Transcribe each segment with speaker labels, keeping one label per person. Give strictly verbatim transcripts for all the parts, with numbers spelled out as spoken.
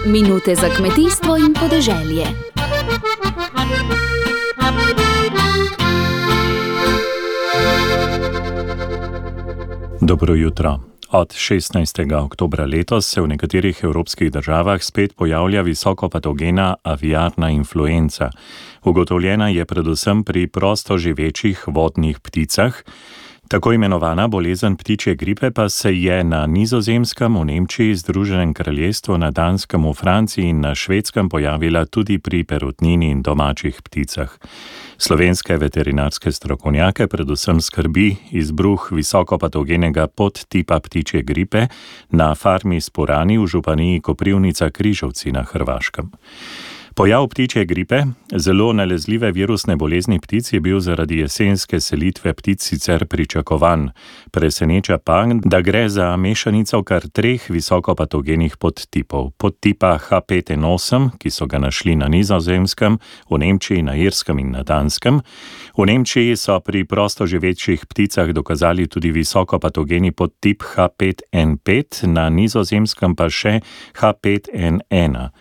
Speaker 1: Minute za kmetijstvo in podeželje.
Speaker 2: Dobro jutro. Od šestnajstega oktobra letos se v nekaterih evropskih državah spet pojavlja visokopatogena aviarna influenca. Ugotovljena je predvsem pri prostoživečih vodnih pticah. Tako imenovana bolezen ptičje gripe pa se je na Nizozemskem, v Nemčiji, Združenem kraljestvu, na Danskem, v Franciji in na Švedskem pojavila tudi pri perutnini in domačih pticah. Slovenske veterinarske strokovnjake predvsem skrbi izbruh visokopatogenega podtipa ptičje gripe na farmi Sporani v županiji Koprivnica Križevci na Hrvaškem. Pojav ptičje gripe, zelo nalezljive virusne bolezni ptic, je bil zaradi jesenske selitve ptic sicer pričakovan. Preseneča pa, da gre za mešanico kar treh visokopatogenih podtipov. Podtipa H pet N osem, ki so ga našli na Nizozemskem, v Nemčiji, na Irskem in na Danskem. V Nemčiji so pri prostoživečih pticah dokazali tudi visokopatogeni podtip H pet N pet, na Nizozemskem pa še H pet N ena.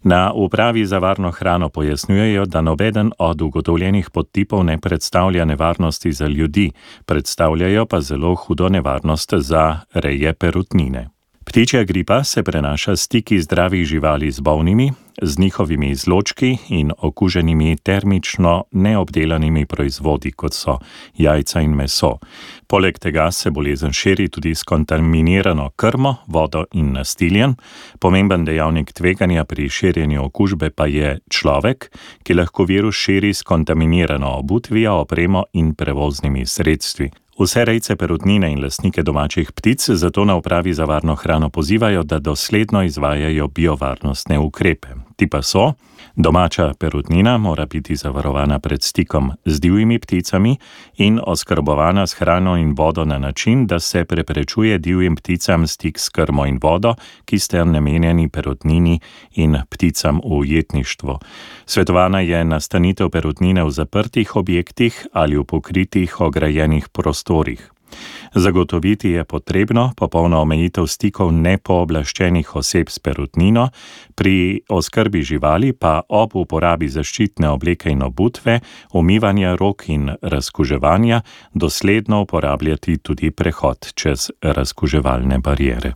Speaker 2: Na upravi za varno hrano pojasnjujejo, da nobeden od ugotovljenih podtipov ne predstavlja nevarnosti za ljudi, predstavljajo pa zelo hudo nevarnost za reje perutnine. Ptičja gripa se prenaša s stiki zdravih živali z bolnimi, z njihovimi izločki in okuženimi termično neobdelanimi proizvodi, kot so jajca in meso. Poleg tega se bolezen širi tudi s kontaminirano krmo, vodo in nastiljem. Pomemben dejavnik tveganja pri širjenju okužbe pa je človek, ki lahko virus širi s kontaminirano obutvijo, opremo in prevoznimi sredstvi. Vse rejce perutnine in lastnike domačih ptic zato na upravi za varno hrano pozivajo, da dosledno izvajajo biovarnostne ukrepe. Ti pa so: domača perutnina mora biti zavarovana pred stikom z divjimi pticami in oskrbovana s hrano in vodo na način, da se preprečuje divjim pticam stik s krmo in vodo, ki sta namenjeni perutnini in pticam v ujetništvu. Svetovana je nastanitev perutnine v zaprtih objektih ali v pokritih ograjenih prostorih. Zagotoviti je potrebno popolno omejitev stikov nepooblaščenih oseb s perutnino, pri oskrbi živali pa ob uporabi zaščitne obleke in obutve, umivanja rok in razkuževanja dosledno uporabljati tudi prehod čez razkuževalne bariere.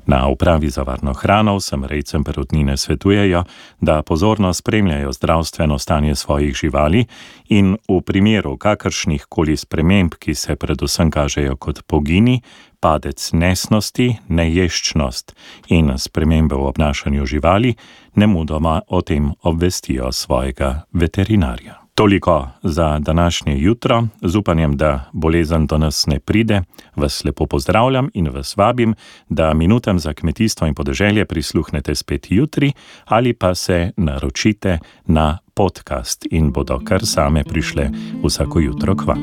Speaker 2: Na upravi za varno hrano vsem rejcem perutnine svetujejo, da pozorno spremljajo zdravstveno stanje svojih živali in v primeru kakršnih koli sprememb, ki se predvsem kažejo kot pogini, padec nesnosti, neješčnost in spremembe v obnašanju živali, nemudoma o tem obvestijo svojega veterinarja. Toliko za današnje jutro, z upanjem, da bolezen do nas ne pride, vas lepo pozdravljam in vas vabim, da minutam za kmetijstvo in podeželje prisluhnete spet jutri ali pa se naročite na podcast in bodo kar same prišle vsako jutro k vam.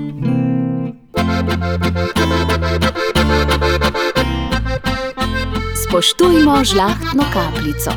Speaker 1: Spoštujmo žlahtno kapljico.